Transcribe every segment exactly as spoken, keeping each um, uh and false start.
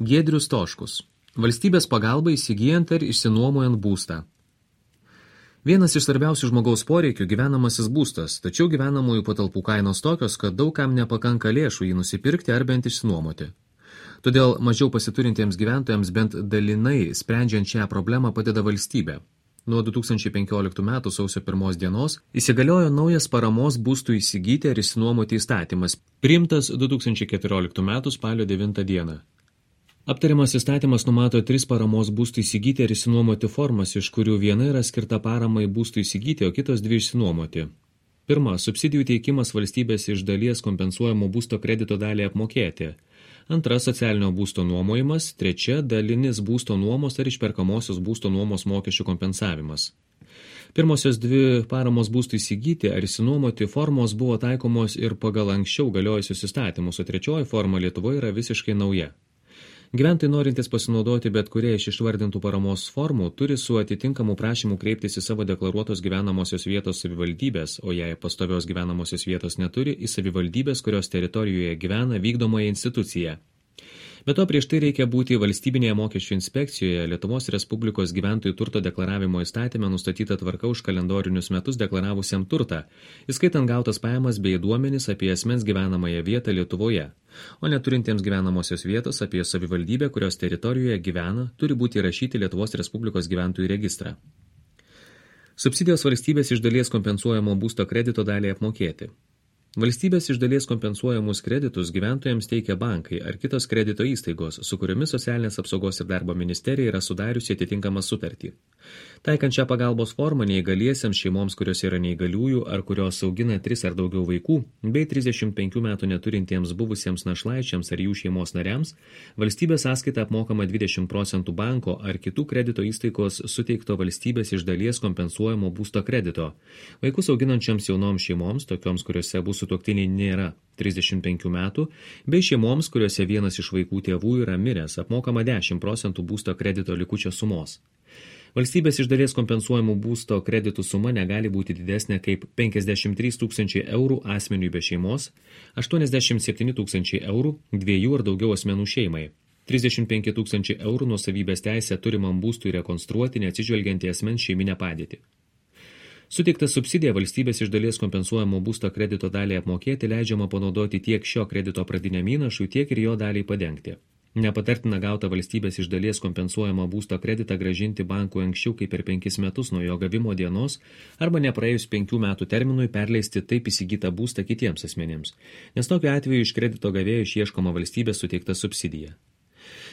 Giedrius Toškus. Valstybės pagalba įsigijant ar išsinuomojant būstą. Vienas iš svarbiausių žmogaus poreikių gyvenamasis būstas, tačiau gyvenamųjų patalpų kainos tokios, kad daug kam nepakanka lėšų jį nusipirkti ar bent išsinuomoti. Todėl mažiau pasiturintiems gyventojams bent dalinai sprendžiant šią problemą padeda valstybė. Nuo du tūkstančiai penkioliktų metų sausio pirmos dienos įsigaliojo naujas paramos būstų įsigyti ar išsinuomoti įstatymas, priimtas du tūkstančiai keturioliktų metų spalio devintą dieną. Aptariamas įstatymas numato tris paramos būstų įsigyti ar išsinuomoti formas, iš kurių viena yra skirta paramai būstų įsigyti, o kitos dvi išsinuomoti. Pirma, subsidijų teikimas valstybės iš dalies kompensuojamo būsto kredito dalį apmokėti. Antra, socialinio būsto nuomojimas. Trečia, dalinis būsto nuomos ar išperkamosios būsto nuomos mokesčių kompensavimas. Pirmosios dvi paramos būstų įsigyti ar išsinuomoti formos buvo taikomos ir pagal anksčiau galiojusius įstatymus, o trečioji forma Lietuvoje yra visiškai nauja. Gyventojai norintys pasinaudoti bet kurie iš išvardintų paramos formų turi su atitinkamu prašymu kreiptis į savo deklaruotos gyvenamosios vietos savivaldybės, o jei pastovios gyvenamosios vietos neturi, į savivaldybės, kurios teritorijoje gyvena vykdomąją instituciją. Be to, prieš tai reikia būti valstybinėje mokesčių inspekcijoje Lietuvos Respublikos gyventojų turto deklaravimo įstatyme nustatyta tvarka už kalendorinius metus deklaravusiam turtą, įskaitant gautas pajamas bei duomenis apie asmens gyvenamąją vietą Lietuvoje, o neturintiems gyvenamosios vietos apie savivaldybę, kurios teritorijoje gyvena, turi būti įrašyti Lietuvos Respublikos gyventojų registrą. Subsidijos valstybės iš dalies kompensuojamo būsto kredito dalį apmokėti. Valstybės iš dalies kompensuojamus kreditus gyventojams teikia bankai ar kitos kredito įstaigos, su kuriomis socialinės apsaugos ir darbo ministerija yra sudariusi atitinkamą sutartį. Taikant šią pagalbos formą neįgaliesiems šeimoms, kurios yra neįgaliųjų ar kurios augina tris ar daugiau vaikų, bei trisdešimt penkių metų neturintiems buvusiems našlaičiams ar jų šeimos nariams, valstybės sąskaita apmokama dvidešimt procentų banko ar kitų kredito įstaigos suteikto valstybės iš dalies kompensuojamo būsto kredito. Vaikus auginančiams jaunoms šeimoms, tokioms, kuriuose bus sutuoktiniai nėra trisdešimt penkių metų, bei šeimoms, kuriuose vienas iš vaikų tėvų yra miręs, apmokama dešimt procentų būsto kredito likučio sumos. Valstybės iš dalies kompensuojamų būsto kreditų suma negali būti didesnė kaip penkiasdešimt trys tūkstančiai eurų asmeniui be šeimos, aštuoniasdešimt septyni tūkstančiai eurų dviejų ar daugiau asmenų šeimai, trisdešimt penki tūkstančiai eurų nuosavybės teisę turimam būstui rekonstruoti neatsižvelgiant į asmens šeiminę padėtį. Suteikta subsidija valstybės iš dalies kompensuojamo būsto kredito dalį apmokėti leidžiama panaudoti tiek šio kredito pradiniam įnašui, tiek ir jo daliai padengti. Nepatartina gauta valstybės iš dalies kompensuojamą būsto kreditą grąžinti bankui anksčiau kaip per penkis metus nuo jo gavimo dienos arba nepraėjus penkių metų terminui perleisti taip įsigytą būstą kitiems asmenėms, nes tokiu atveju iš kredito gavėjo išieškoma valstybės suteikta subsidija.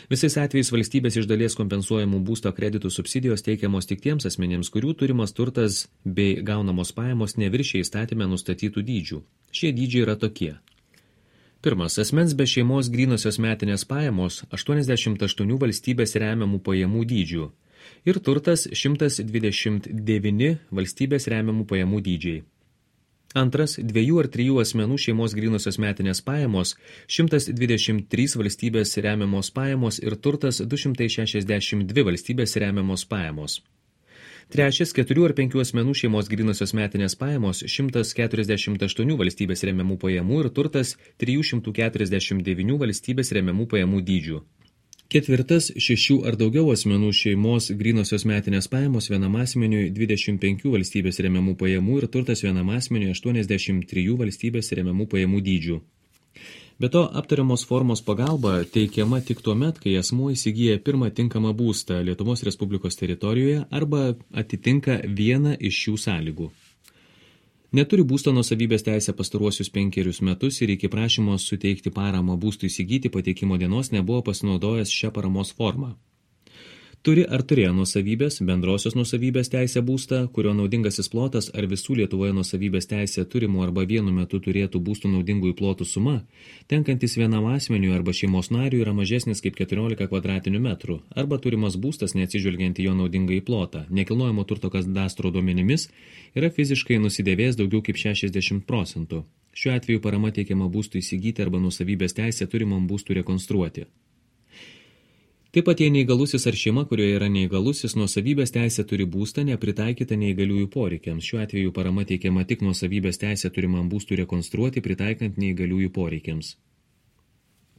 Visais atvejais valstybės iš dalies kompensuojamų būsto kreditų subsidijos teikiamos tik tiems asmenėms, kurių turimas turtas bei gaunamos pajamos neviršia įstatyme nustatytų dydžių. Šie dydžiai yra tokie. Pirmas, asmens be šeimos grynosios metinės pajamos aštuoniasdešimt aštuoni valstybės remiamų pajamų dydžių ir turtas šimtas dvidešimt devyni valstybės remiamų pajamų dydžiai. Antras, dviejų ar trijų asmenų šeimos grynosios metinės pajamos šimtas dvidešimt trys valstybės remiamos pajamos ir turtas du šimtai šešiasdešimt dvi valstybės remiamos pajamos. Trečias, keturių ar penkių asmenų šeimos grynosios metinės pajamos šimtas keturiasdešimt aštuoni valstybės remiamų pajamų ir turtas trijų šimtų keturiasdešimt devyni valstybės remiamų pajamų dydžių. Ketvirtas, šešių ar daugiau asmenų šeimos grynosios metinės pajamos vienam asmeniui dvidešimt penkių valstybės remiamų pajamų ir turtas vienam asmeniui aštuoniasdešimt trijų valstybės remiamų pajamų dydžių. Be to, aptariamos formos pagalba teikiama tik tuomet, kai asmuo įsigyja pirmą tinkamą būstą Lietuvos Respublikos teritorijoje arba atitinka vieną iš šių sąlygų. Neturi būsto nuosavybės teisę pastaruosius penkerius metus ir iki prašymo suteikti paramą būstui įsigyti pateikimo dienos nebuvo pasinaudojęs šią paramos formą. Turi ar turėjo nuosavybės, bendrosios nuosavybės teisę būstą, kurio naudingasis plotas ar visų Lietuvoje nuosavybės teisę turimų arba vienu metu turėtų būstų naudingųjų plotų suma, tenkantis vienam asmeniui arba šeimos nariui yra mažesnis kaip keturiolika kvadratinių metrų, arba turimas būstas neatsižvelgiant į jo naudingąjį plotą, nekilnojamo turto kadastro duomenimis, yra fiziškai nusidėvėjęs daugiau kaip šešiasdešimt procentų. Šiuo atveju parama teikiama būstui įsigyti arba nuosavybės teisę turimam būstui rekonstruoti. Taip pat jei neįgalusis ar šeima, kurioje yra neįgalusis, nuosavybės teisė turi būstą nepritaikytą neįgaliųjų poreikiams. Šiuo atveju parama teikiama tik nuosavybės teisė turimam būstui rekonstruoti, pritaikant neįgaliųjų poreikiams.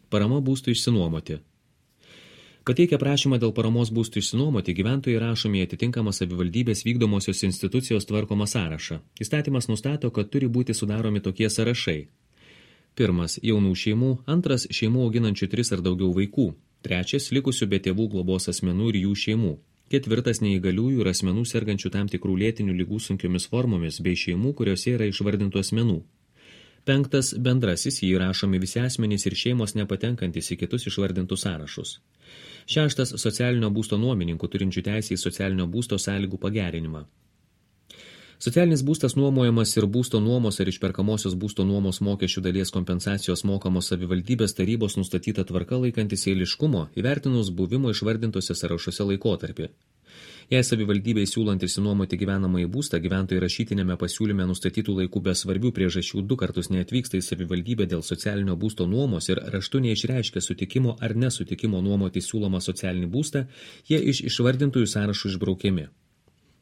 Parama būstui išsinuomoti. Pateikę prašymą dėl paramos būstų išsinuomoti, gyventojai rašomi į atitinkamą savivaldybės vykdomosios institucijos tvarkomą sąrašą. Įstatymas nustato, kad turi būti sudaromi tokie sąrašai. Pirmas – jaunų šeimų, antras – šeimų auginančių tris ar daugiau vaikų, trečias – likusių be tėvų globos asmenų ir jų šeimų, ketvirtas – neįgaliųjų ir asmenų sergančių tam tikrų lėtinių ligų sunkiomis formomis bei šeimų, kuriuose yra išvardintų asmenų. Penktas – bendrasis, jį įrašomi visi asmenys ir šeimos nepatenkantis į kitus išvardintus sąrašus. Šeštas – socialinio būsto nuomininkų turinčių teisę į socialinio būsto sąlygų pagerinimą. Socialinis būstas nuomojamas ir būsto nuomos ar išperkamosios būsto nuomos mokesčių dalies kompensacijos mokamos savivaldybės tarybos nustatyta tvarka laikantis eiliškumo, įvertinus buvimo išvardintose sąrašuose laikotarpį. Jei savivaldybei siūlant išsinuomoti gyvenamąjį būstą, gyventojai rašytinėme pasiūlyme nustatytų laikų be svarbių priežasčių du kartus neatvyksta į savivaldybę dėl socialinio būsto nuomos ir raštu neišreiškia sutikimo ar nesutikimo nuomoti siūlomą socialinį būstą, jie iš išvardintųjų sąrašų išbraukiami.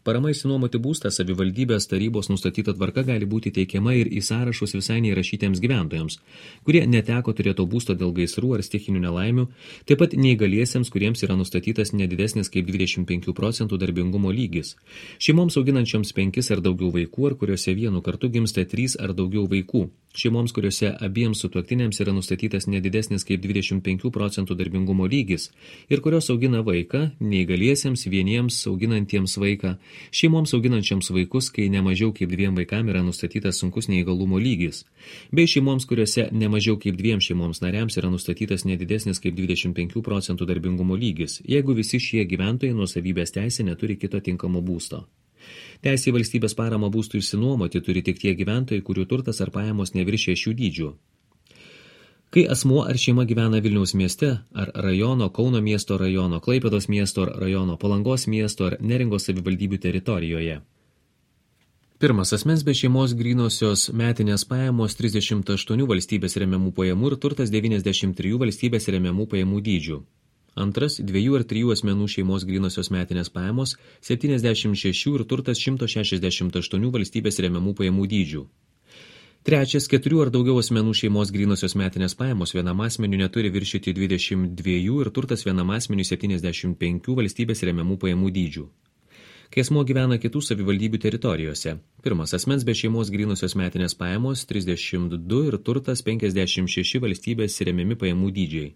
Parama išsinuomoti būstą savivaldybės tarybos nustatyta tvarka gali būti teikiama ir į sąrašus visai neįrašytiems gyventojams, kurie neteko turėto būsto dėl gaisrų ar stichinių nelaimių, taip pat neįgaliesiems, kuriems yra nustatytas nedidesnis kaip dvidešimt penkių procentų darbingumo lygis, šeimoms auginančioms penkis ar daugiau vaikų, ar kuriuose vienu kartu gimsta trys ar daugiau vaikų, šeimoms, kuriuose abiems sutuoktiniams yra nustatytas nedidesnis kaip dvidešimt penkių procentų darbingumo lygis ir kurios augina vaiką, neįgaliesiems vieniems auginantiems vaiką, šeimoms auginančiams vaikus, kai nemažiau kaip dviem vaikam yra nustatytas sunkus neįgalumo lygis, bei šeimoms, kuriuose nemažiau kaip dviem šeimoms nariams yra nustatytas nedidesnis kaip dvidešimt penkių procentų darbingumo lygis, jeigu visi šie gyventojai nuosavybės teisė neturi kito tinkamo būsto. Teisė į valstybės paramą būstų išsinuomoti turi tik tie gyventojai, kurių turtas ar pajamos neviršė šių dydžių. Kai asmuo ar šeima gyvena Vilniaus mieste ar rajono, Kauno miesto rajono, Klaipėdos miesto ar rajono, Palangos miesto ar Neringos savivaldybių teritorijoje. Pirmas asmens be šeimos grynosios metinės pajamos trisdešimt aštuonių valstybės remiamų pajamų ir turtas devyniasdešimt trijų valstybės remiamų pajamų dydžių. Antras, dviejų ar trijų asmenų šeimos grynosios metinės pajamos septyniasdešimt šešių ir turtas šimtas šešiasdešimt aštuonių valstybės remiamų pajamų dydžių. Trečias, keturių ar daugiau asmenų šeimos grynosios metinės pajamos vienam asmeniu neturi viršyti dvidešimt dviejų ir turtas vienam asmeniu septyniasdešimt penkių valstybės remiamų pajamų dydžių. Kai asmuo gyvena kitų savivaldybių teritorijose. Pirmas, asmens be šeimos grynosios metinės pajamos trisdešimt du ir turtas penkiasdešimt šeši valstybės remiami pajamų dydžiai.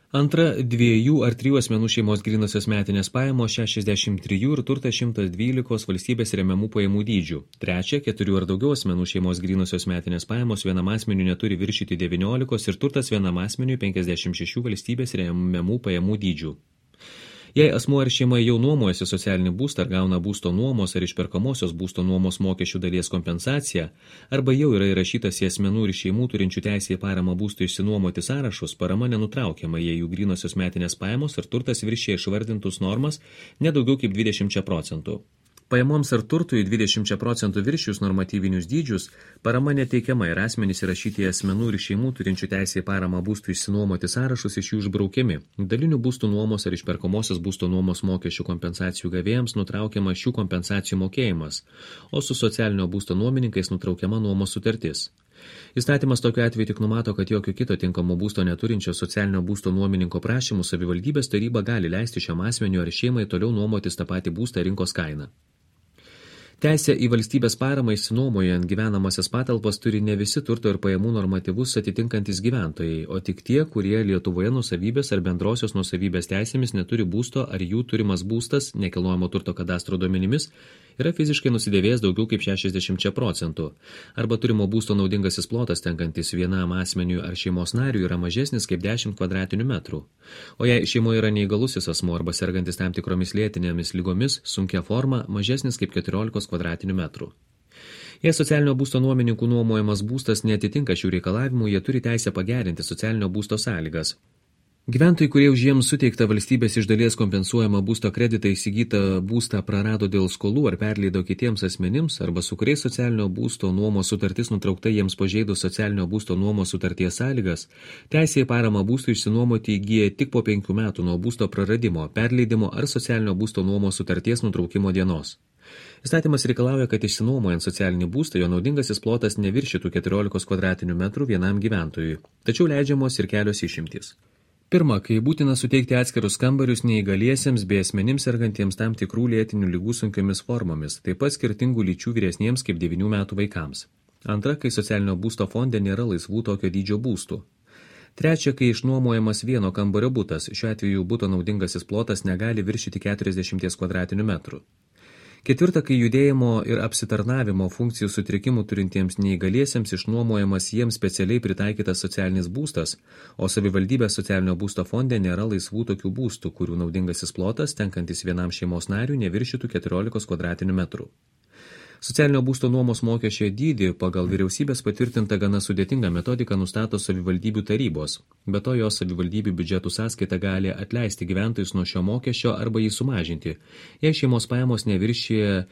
Antra, dviejų ar trijų asmenų šeimos grynosios metinės pajamos šešiasdešimt trijų ir turtas šimtas dvylika valstybės remiamų pajamų dydžių. Trečia, keturių ar daugiau asmenų šeimos grynosios metinės pajamos vienam asmeniu neturi viršyti devyniolikos ir turtas vienam asmeniu penkiasdešimt šešių valstybės remiamų pajamų dydžių. Jei asmuo ar šeima jau nuomojasi socialinį būstą ar gauna būsto nuomos ar išperkamosios būsto nuomos mokesčių dalies kompensaciją, arba jau yra įrašytas į asmenų ir šeimų turinčių teisę į paramą būstui išsinuomoti sąrašus, parama nenutraukiama, jei jų grynosios metinės pajamos ar turtas viršija išvardintus normas nedaugiau kaip dvidešimt procentų. Pajamoms ar turtui dvidešimt procentų viršijus normatyvinius dydžius, parama neteikiama ir asmenys įrašyti į asmenų ir šeimų turinčių teisę į paramą būstų išsinuomoti sąrašus iš jų išbraukiami. Dalinių būstų nuomos ar išperkamosios būsto nuomos mokesčių kompensacijų gavėjams nutraukiama šių kompensacijų mokėjimas, o su socialinio būsto nuomininkais nutraukiama nuomos sutartis. Įstatymas tokiu atveju tik numato, kad jokio kito tinkamo būsto neturinčio socialinio būsto nuomininko prašymų savivaldybės taryba gali leisti šiam asmeniu ar šeimai toliau nuomotis tą patį būstą rinkos kainą. Teisę į valstybės paramą išsinuomojant gyvenamasias patalpas turi ne visi turto ir pajamų normatyvus atitinkantis gyventojai, o tik tie, kurie Lietuvoje nuosavybės ar bendrosios nuosavybės teisėmis neturi būsto ar jų turimas būstas nekilnojamo turto kadastro duomenimis yra fiziškai nusidėvėjęs daugiau kaip šešiasdešimt procentų, arba turimo būsto naudingasis plotas tenkantis vienam asmeniui ar šeimos nariui yra mažesnis kaip dešimt kvadratinių metrų. O jei šeimoje yra neįgalusis asmuo arba sergantis tam tikromis lėtinėmis lygomis, sunkia forma, mažesnis kaip keturiolika kvadratinių metrų. Jei socialinio būsto nuomininkų nuomojamas būstas neatitinka šių reikalavimų, jie turi teisę pagerinti socialinio būsto sąlygas. Gyventojai, kurie už jiems suteiktą valstybės iš dalies kompensuojamą būsto kreditą įsigytą būstą prarado dėl skolų ar perleido kitiems asmenims, arba su kuriais socialinio būsto nuomos sutartis nutraukta jiems pažeidus socialinio būsto nuomos sutarties sąlygas, teisė į paramą būstui išsinuomoti įgyja tik po penkių metų nuo būsto praradimo, perleidimo ar socialinio būsto nuomos sutarties nutraukimo dienos. Įstatymas reikalauja, kad išsinuomojant socialinį būstą, jo naudingasis plotas neviršytų keturiolikos kvadratinių metrų vienam gyventojui, tačiau leidžiamos ir kelios išimtys. Pirma, kai būtina suteikti atskirus kambarius neįgaliesiems bei asmenims sergantiems tam tikrų lėtinių ligų sunkiomis formomis, taip pat skirtingų lyčių vyresniems kaip devynių metų vaikams. Antra, kai socialinio būsto fonde nėra laisvų tokio dydžio būstų. Trečia, kai išnuomojamas vieno kambario butas, šiuo atveju buto naudingasis plotas negali viršyti keturiasdešimties kvadratinių metrų. Ketvirta, kai judėjimo ir apsitarnavimo funkcijų sutrikimų turintiems neįgaliesiems išnuomojamas jiems specialiai pritaikytas socialinis būstas, o savivaldybės socialinio būsto fonde nėra laisvų tokių būstų, kurių naudingasis plotas, tenkantis vienam šeimos nariui, neviršytų keturiolikos kvadratinių metrų. Socialinio būsto nuomos mokesčio dydį pagal vyriausybės patvirtintą gana sudėtingą metodiką nustato savivaldybių tarybos. Be to, jos savivaldybių biudžetų sąskaita gali atleisti gyventojus nuo šio mokesčio arba jį sumažinti, jei šeimos pajamos neviršyje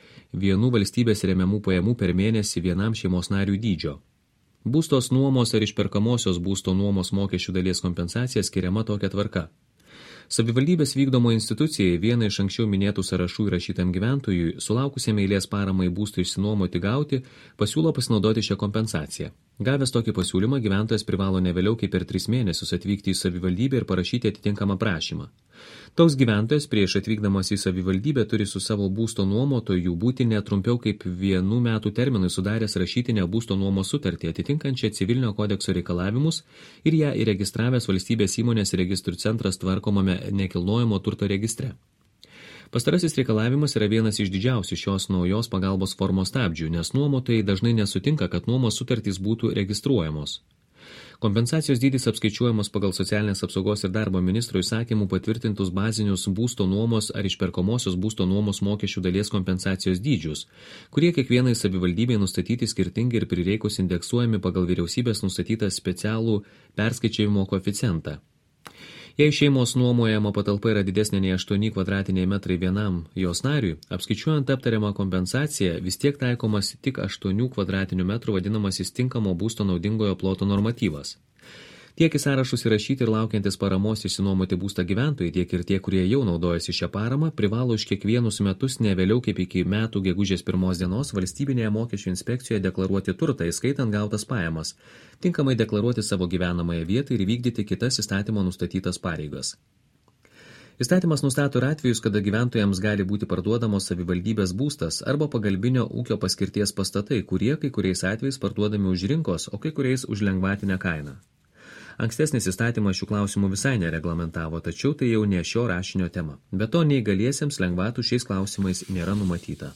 vienų valstybės remiamų pajamų per mėnesį vienam šeimos nariui dydžio. Būstos nuomos ar išperkamosios būsto nuomos mokesčių dalies kompensacija skiriama tokia tvarka. Savivaldybės vykdomo institucijai vieną iš anksčiau minėtų sąrašų įrašytam gyventojui, sulaukusiam eilės paramai būstui išsinuomoti gauti, pasiūlo pasinaudoti šią kompensaciją. Gavęs tokį pasiūlymą, gyventojas privalo ne vėliau kaip per tris mėnesius atvykti į savivaldybę ir parašyti atitinkamą prašymą. Toks gyventojas prieš atvykdamas į savivaldybę turi su savo būsto nuomotoju būti netrumpiau kaip vienų metų terminui sudaręs rašytinę būsto nuomos sutartį atitinkančią civilinio kodekso reikalavimus ir ją įregistravęs valstybės įmonės registrų centras tvarkomame nekilnojamo turto registre. Pastarasis reikalavimas yra vienas iš didžiausių šios naujos pagalbos formos stabdžių, nes nuomotojai dažnai nesutinka, kad nuomos sutartys būtų registruojamos. Kompensacijos dydis apskaičiuojamas pagal socialinės apsaugos ir darbo ministro įsakymų patvirtintus bazinius būsto nuomos ar išperkamosios būsto nuomos mokesčių dalies kompensacijos dydžius, kurie kiekvienai savivaldybei nustatyti skirtingai ir prireikus indeksuojami pagal vyriausybės nustatytą specialų perskaičiavimo koeficientą. Jei šeimos nuomojama patalpa yra didesnė nei aštuoni kvadratiniai metrai vienam jos nariui, apskaičiuojant aptariamą kompensaciją, vis tiek taikomas tik aštuonių kvadratinių metrų vadinamasis tinkamo būsto naudingojo ploto normatyvas. Tiek į sąrašus įrašyti ir laukiantis paramos išsinuomoti būstą gyventojai, tiek ir tie, kurie jau naudojasi šią paramą, privalo už kiekvienus metus ne vėliau kaip iki metų gegužės pirmos dienos valstybinėje mokesčių inspekcijoje deklaruoti turtą, įskaitant gautas pajamas, tinkamai deklaruoti savo gyvenamąją vietą ir vykdyti kitas įstatymo nustatytas pareigas. Įstatymas nustato ir atvejus, kada gyventojams gali būti parduodamos savivaldybės būstas arba pagalbinio ūkio paskirties pastatai, kurie kai kuriais atvejais parduodami už rinkos, o kai kuriais už lengvatinę kainą. Ankstesnis įstatymas šių klausimų visai nereglamentavo, tačiau tai jau ne šio rašinio tema. Be to, neįgaliesiems lengvatų šiais klausimais nėra numatyta.